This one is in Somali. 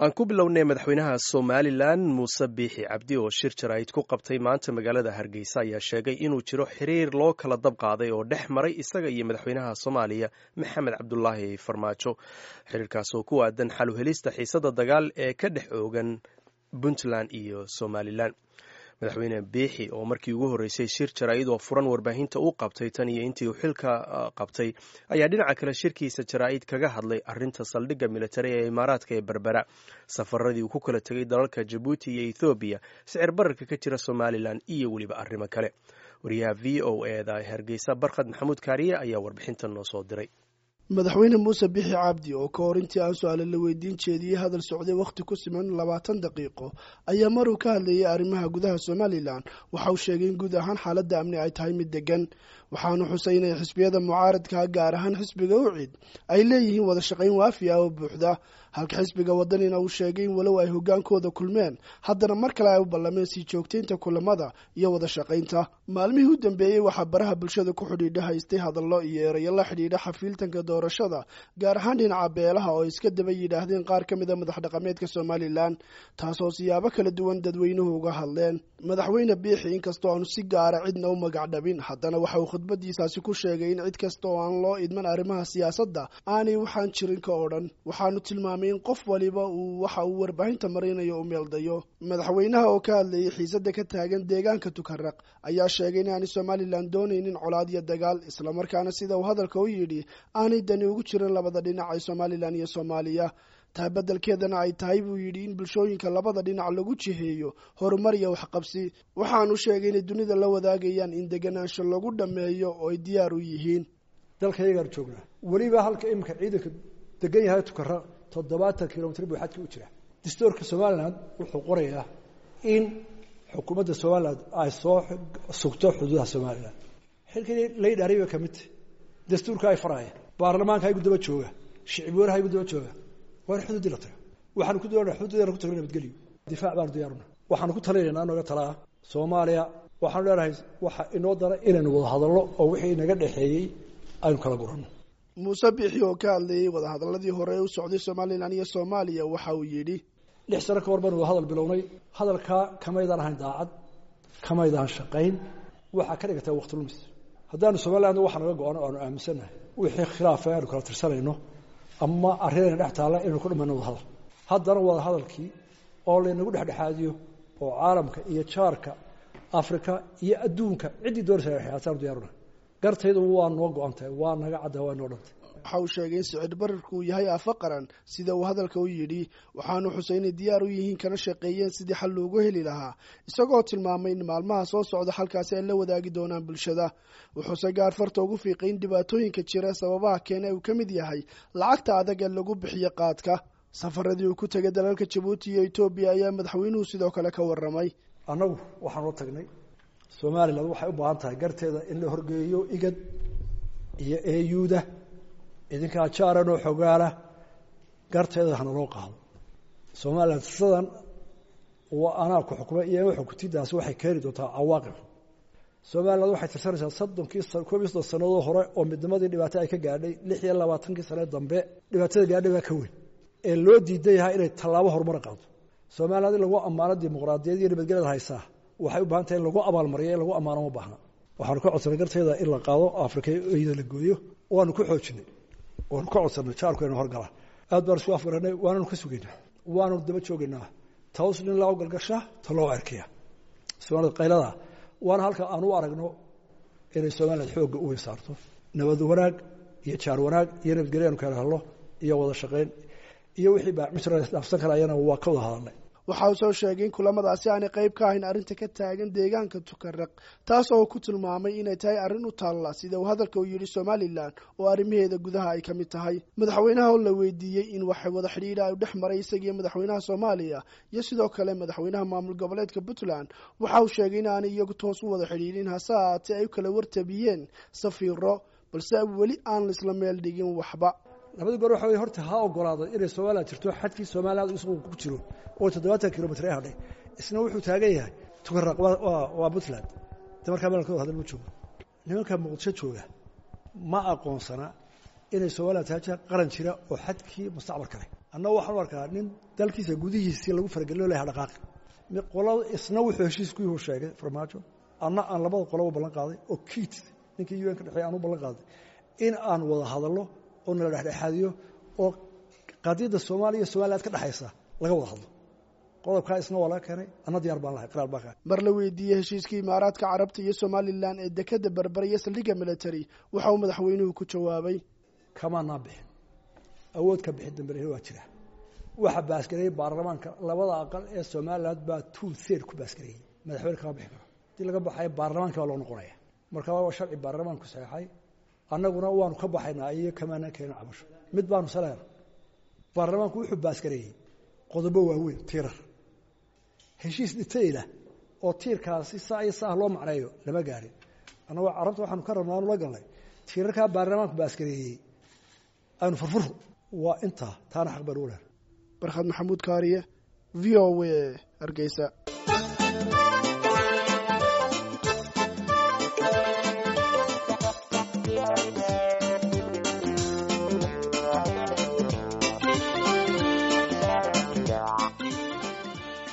Aan ku bilownay, madaxweynaha Somalilan Muuse Biixi Cabdi oo shir jaraa'id ku qabtay maanta magaalada Hargeysa ayaa sheegay inuu jiro xiriir loo kala dab qaaday oo dhex maray isaga iyo madaxweynaha Soomaaliya Maxamed Cabdulaahi Farmaajo, xiriirkaas oo ku aadan xal u helista xiisada dagaal ee ka dhex oogan Puntland iyo Somalilan. Madaxweyne Biixi oo markii ugu horreysay shir jaraa'id oo furan warbaahinta u qabtay tan iyo intii uu xilka qabtay ayaa dhinaca kale shirkiisa jaraa'id kaga hadlay arrinta saldhigga militari ee Imaaraadka ee Berbera, safaradii uu ku kala tegay dalalka Jabuuti iyo Ethoobiya, sicir bararka ka jira Somalilan iyo weliba arrimo kale. Wariyaha VOA da Hargeysa, Barkhad Maxamuud Kaariye, ayaa warbixintan noo soo diray. Madaxweyne Muuse Bixi Cabdi oo ka hor intii aan su-aale la weydiin jeediyey hadal socday wakhti ku siman 20 daqiiqo ayaa maruu ka hadlayay arrimaha gudaha Somalilan waxa uu sheegay in guud ahaan xaaladda amni ay tahay mid degan. Waxaanu xusay inay xisbiyada mucaaradka, gaar ahaan xisbiga UCID, ay leeyihiin wada shaqayn waafi ah oo buuxda, halka xisbiga Wadanina uu sheegay in walow ay hogaankooda kulmeen, haddana mar kale ay u ballameen sii joogtaynta kulamada iyo wada shaqaynta. Maalmihii u dambeeyey waxaa baraha bulshada ku xidhiidha haystay hadallo iyo erayo la xidhiidha xafiiltanka doorashada, gaar ahaan dhinaca beelaha, oo iska daba yidhaahdeen qaar ka mida madax dhaqameedka Somalilan, taasoo siyaabo kala duwan dadweynuhu uga hadleen. Madaxweyne Biixi, inkastoo aanu si gaara cidna u magac dhabin, haddana waxa uu khudbadiisaasi ku sheegay in cid kasta oo aan loo idman arrimaha siyaasadda aanay waxaan jirin ka odhan. Waxaanu tilmaamay in qof waliba uu waxa uu warbaahinta marinayo u meeldayo. Madaxweynaha oo ka hadlayay xiisadda ka taagan deegaanka Tukaraq ayaa sheegay in aanay Somalilan doonaynin colaad iyo dagaal, islamarkaana, sida uu hadalka u yidhi, aanay dani ugu jirin labada dhinac ee Somalilan iyo Soomaaliya. Taa beddelkeedana ay tahay, buu yidhi, in bulshooyinka labada dhinac lagu jiheeyo horumar iyo waxqabsi. Waxaanu sheegay inay dunida la wadaagayaan in deganaansho lagu dhammeeyo oo ay diyaar u yihiin. Dalka iyagaan joognaa, weliba halka iminka ciidanka degan yahay Tukaraq 70 kilomitr buu xadka u jira. Dastuurka Somaliland wuxuu qorayaa in xukuumadda Somaliland ay soo sugto xuduudaha Somaliland. Xilkii laydhaariy bay kamid tahy, dastuurka ay faraya, baarlamaanka igu daba jooga, shicib weynaha igu daba jooga. Waa in xuduuddii la taga. Waxaanu ku doonaa xuduuddeena ku tagno nabadgelyo, difaac baanu diyaaruna. Waxaanu ku talinaynaa nooga talaa Soomaaliya, waxaanu leenahay waxa inoo dara inaynu wada hadallo oo wixii inaga dhexeeyey aynu kala guranno. Muuse Biixi oo ka hadlayey wadahadalladii hore ee u socday Somalilan iyo Soomaaliya waxa uu yidhi: 6 sano ka hor baynu wada hadal bilownay. Hadalkaa kamaydaan ahayn daacad, kamaydaan shaqayn, waxaa ka dhigataa waqti lumis. Haddaanu Somaliland waxa naga go-ano aanu aaminsannahay wixii khilaafa aanu kala tirsanayno ama arrinayna dhex taalla inaynu ku dhamayno wada hadal. Haddana wada hadalkii oo laynagu dhexdhexaadiyo oo caalamka iyo jaarka, Afrika iyo adduunka ciddii doonaysa dhexdhexaadsaanu diyaaruna. Gartaydu waa noo go-an tahay, waa naga cadda, waa noo dhantay. Waxa uu sheegay in sicir bararku uu yahay aafo qaran, sida uu hadalka u yidhi. Waxaanu xusay inay diyaar u yihiin kana shaqeeyeen sidii xal loogu heli lahaa, isagoo tilmaamay in maalmaha soo socda xalkaasi ay la wadaagi doonaan bulshada. Wuxuuse gaar farta ugu fiiqay in dhibaatooyinka jira sababaha keena uu ka mid yahay lacagta adag ee lagu bixiyo qaadka. Safaradii uu ku tegay dalalka Jabuuti iyo Etoobiya ayaa madaxweynuhu sidoo kale ka warramay. Annagu waxaan ula tagnay Somaliland waxay u baahan tahay garteeda in la horgeeyo IGAD iyo AU-da. Idinkaa jaaran oo xogaala, garteeda hana loo qaado. Somaliland sidan waa anaa ku xukumay iyo xukutidaasi waxay keeni doontaa cawaaqib. Somaliland waxay tirsanaysaa 30-kii, 31 sannadood hore oo midnimadii dhibaato ay ka gaadhay. 26-kii sane dambe dhibaatada gaadhay baa ka weyn ee loo diidan yahay inay tallaabo horumar qaado. Somaliland in lagu ammaano dimuqraadiyad iyo nabadgelyada haysaa waxay u baahan tahay in lagu abaalmariyo, in lagu ammaano ma baahna. Waxaanu ka codsanay garteeda in la qaado, Afrika iyada la gooyo. Waanu ku xoojinay, waanu ka codsanay jaarku inu horgala. Aad baan isku afgaranay, waananu ka sugaynaa, waanu daba joogaynaa. Taws nin loo galgasha ta loo arkaya Soomaalida qaylada, waana halka aan u aragno inay Somaliland xoogga u weyn saarto nabad wanaag iyo jaar wanaag iyo nabadgelyo aanu kala helno iyo wada shaqayn iyo wixii baa misra dhaafsan karayana waa ka wada hadalnay. Waxa uu soo sheegay in kulamadaasi aanay qayb ka ahayn arrinta ka taagan deegaanka Tukaraq, taas oo ku tilmaamay inay tahay arrin u taalla, sida uu hadalka u yidhi, Somalilan oo arrimaheeda gudaha ay ka mid tahay. Madaxweynaha oo la weydiiyey in wax wada xidhiidha ay dhex maray isagiiyo madaxweynaha Soomaaliya iyo sidoo kale madaxweynaha maamul goboleedka Puntland, waxa uu sheegay in aanay iyagu toos u wada xidhiidhin, hase ahaatee ay u kala wartabiyeen safiiro, balse weli aan laisla meel dhigin waxba. Labada goor waxa wey horta ha ogolaado inay Somaliland jirto, xadkii Somaliland isagu ku jiro oo 70 kilomitr ee hadhay. Isna wuxuu taagan yahay Tukaraq waa Puntland. De markaa meel ka wada hadal ma joogo. Nimanka Muqdisho jooga ma aqoonsana inay Somaliland tahay qaran jira oo xadkii mustacmarka leh. Annagu waxaan u arkaa nin dalkiisa gudihiisii lagu faragelino laha dhaqaaqi qolada, isna wuxuu heshiis ku yuhu sheegay Farmaajo, anna aan labada qoloba ballan qaaday oo Kiit ninkii UN ka dhexeey aan u ballan qaaday in aan wada hadallo oo nala dhexdhexaadiyo oo qadiyadda Soomaaliya iyo Somaliland ka dhexaysa laga wada hadlo. Qodobkaa isna waa laga keenay, anna diyaar baan lahay, qiraar baan kahay. Mar la weydiiyey heshiiskii Imaaraadka Carabta iyo Somalilan ee dekadda Berbera iyo saldhigga military, waxa uu madaxweynuhu ku jawaabay: Kamaanaa bixin, awood ka bixin dambe waa jira. Waxa baasgareeyey baarlamaanka labada aqal ee Somaliland baa 2/3 ku baasgareeyey. Madaxweyne kama bixi karo. Hadii laga baxayo, baarlamaanka baa loo noqonaya. Marka waa sharci baarlamaanku saxeexay, annaguna waanu ka baxaynaa iyo kamaanaan keenin cabasho. Mid baanu saleena, baarlamaanku wuxuu baasgareeyey qodobo waaweyn, tiirar. Heshiis detail-a oo tiirkaasi saa iyo saah loo macneeyo lama gaarin. Annagoo Carabta waxaanu ka rabnaa aanu la galnay tiirarkaa baarlamaanku baasgareeyey aynu furfuro, waa intaa, taana xaq baan u lehay. Barkhad Maxamuud Kaariye, VOA, Hargeysa.